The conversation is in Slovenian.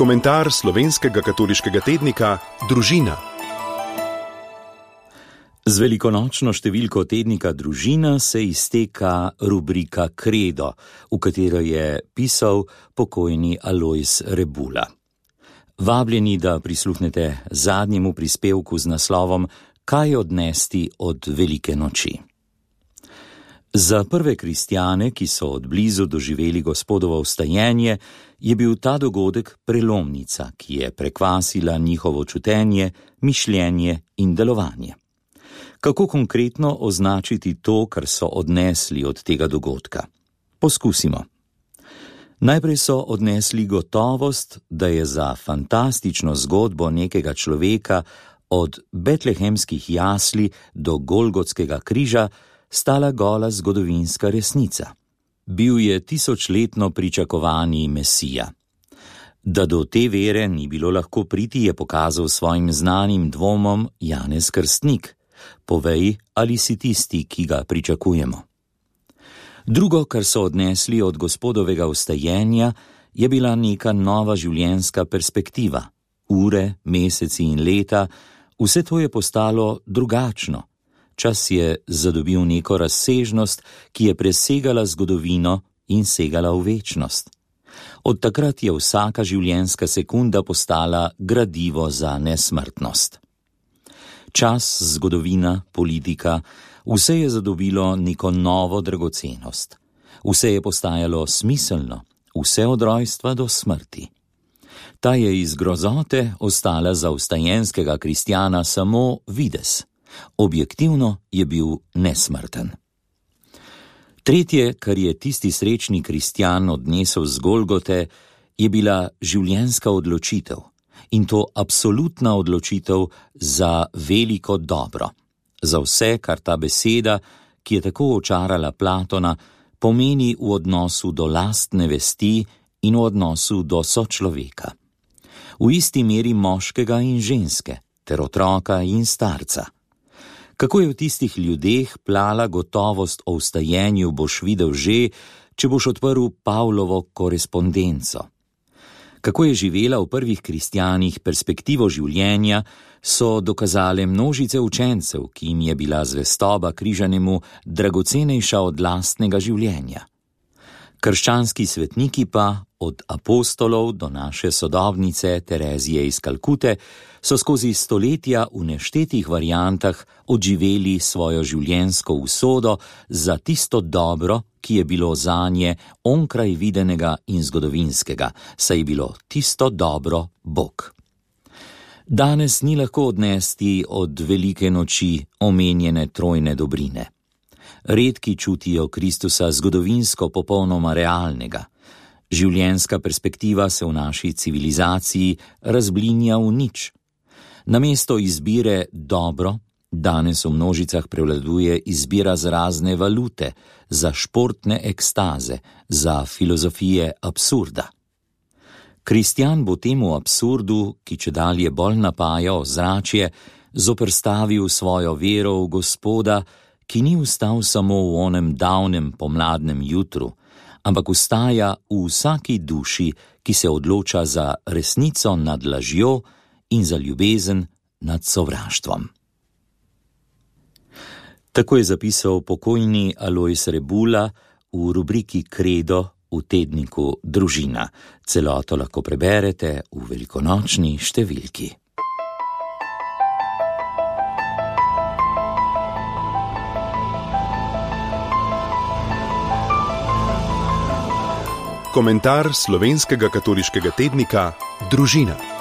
Komentar slovenskega katoliškega tednika Družina. Z velikonočno številko tednika Družina se izteka rubrika Kredo, v katero je pisal pokojni Alojz Rebula. Vabljeni, da prisluhnete zadnjemu prispevku z naslovom Kaj odnesti od velike noči. Za prve kristjane, ki so od blizu doživeli Gospodovo vstajenje, je bil ta dogodek prelomnica, ki je prekvasila njihovo čutenje, mišljenje in delovanje. Kako konkretno označiti to, kar so odnesli od tega dogodka? Poskusimo. Najprej so odnesli gotovost, da je za fantastično zgodbo nekega človeka od betlehemskih jasli do golgotskega križa stala gola zgodovinska resnica. Bil je tisočletno pričakovani Mesija. Da do te vere ni bilo lahko priti, je pokazal svojim znanim dvomom Janez Krstnik. Povej, ali si tisti, ki ga pričakujemo. Drugo, kar so odnesli od Gospodovega vstajenja, je bila neka nova življenjska perspektiva. Ure, meseci in leta, vse to je postalo drugačno. Čas je zadobil neko razsežnost, ki je presegala zgodovino in segala v večnost. Od takrat je vsaka življenjska sekunda postala gradivo za nesmrtnost. Čas, zgodovina, politika, vse je zadobilo neko novo dragocenost. Vse je postajalo smiselno, vse od rojstva do smrti. Ta je iz grozote ostala za vstajenskega kristjana samo videz. Objektivno je bil nesmrten. Tretje, kar je tisti srečni kristjan odnesel z Golgote, je bila življenjska odločitev. In to absolutna odločitev za veliko dobro. Za vse, kar ta beseda, ki je tako očarala Platona, pomeni v odnosu do lastne vesti in v odnosu do sočloveka. V isti meri moškega in ženske, ter otroka in starca. Kako je v tistih ljudeh plala gotovost o vstajenju, boš videl že, če boš odprl Pavlovo korespondenco. Kako je živela v prvih kristjanih perspektivo življenja, so dokazale množice učencev, ki jim je bila zvestoba križanemu dragocenejša od lastnega življenja. Krščanski svetniki pa, od apostolov do naše sodobnice Terezije iz Kalkute, so skozi stoletja v neštetih variantah odživeli svojo življenjsko usodo za tisto dobro, ki je bilo zanje onkraj videnega in zgodovinskega, saj je bilo tisto dobro Bog. Danes ni lahko odnesti od velike noči omenjene trojne dobrine. Redki čutijo Kristusa zgodovinsko popolnoma realnega. Življenjska perspektiva se v naši civilizaciji razblinja v nič. Namesto izbire dobro, danes v množicah prevladuje izbira za razne valute, za športne ekstaze, za filozofije absurda. Kristjan bo temu absurdu, ki čedalje bolj napaja ozračje, zoperstavil svojo vero v Gospoda, ki ni vstal samo v onem davnem pomladnem jutru, ampak vstaja v vsaki duši, ki se odloča za resnico nad lažjo in za ljubezen nad sovraštvom. Tako je zapisal pokojni Alojz Rebula v rubriki Kredo v tedniku Družina. Celoto lahko preberete v velikonočni številki. Komentar slovenskega katoliškega tednika Družina.